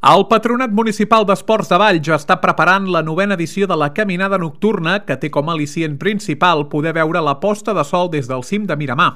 El Patronat Municipal d'Esports de Valls està preparant la 9a edició de la Caminada Nocturna, que té com a al·licient principal poder veure la posta de sol des del cim de Miramar.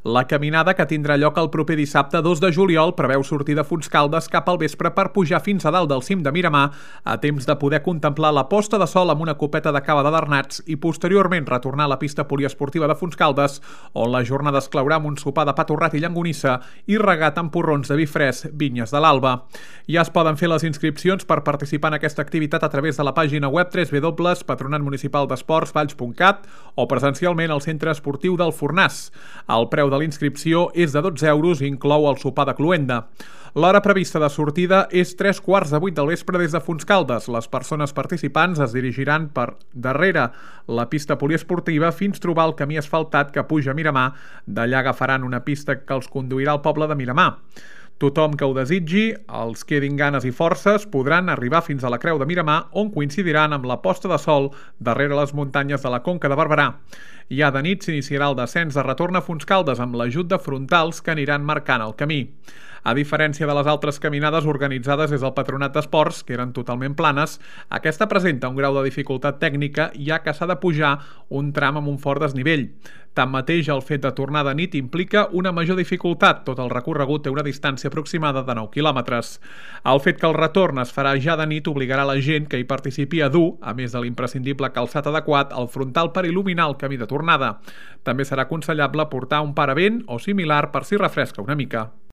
La caminada, que tindrà lloc el proper dissabte 2 de juliol, preveu sortir de Fontscaldes cap al vespre per pujar fins a dalt del cim de Miramar, a temps de poder contemplar la posta de sol amb una copeta de cava de Bernats i posteriorment retornar a la pista poliesportiva de Fontscaldes, on la jornada es claurà amb un sopar de pa torrat i llonganissa i regat amb porrons de vi fresc Vinyes de l'Alba. Ja es poden fer les inscripcions per participar en aquesta activitat a través de la pàgina web www.patronatmunicipaldesportsvalls.cat o presencialment al Centre Esportiu del Fornàs. El preu de l'inscripció és de 12 euros i inclou el sopar de cloenda. L'hora prevista de sortida és 7:45 del vespre des de Fontscaldes. Les persones participants es dirigiran per darrere la pista poliesportiva fins trobar el camí asfaltat que puja a Miramar. D'allà agafaran una pista que els conduirà al poble de Miramar. Tothom que ho desitgi, els quedin ganes i forces, podran arribar fins a la Creu de Miramar, on coincidiran amb la posta de sol darrere les muntanyes de la Conca de Barberà. Ja de nit s'iniciarà el descens de retorn a Fontscaldes amb l'ajut de frontals que aniran marcant el camí. A diferència de les altres caminades organitzades des del Patronat d'Esports, que eren totalment planes, aquesta presenta un grau de dificultat tècnica, ja que s'ha de pujar un tram amb un fort desnivell. Tanmateix, el fet de tornar de nit implica una major dificultat. Tot el recorregut té una distància aproximada de 9 quilòmetres. El fet que el retorn es farà ja de nit obligarà la gent que hi participi a dur, a més de l'imprescindible calçat adequat, el frontal per il·luminar el camí de tornada. També serà aconsellable portar un paravent o similar per si refresca una mica.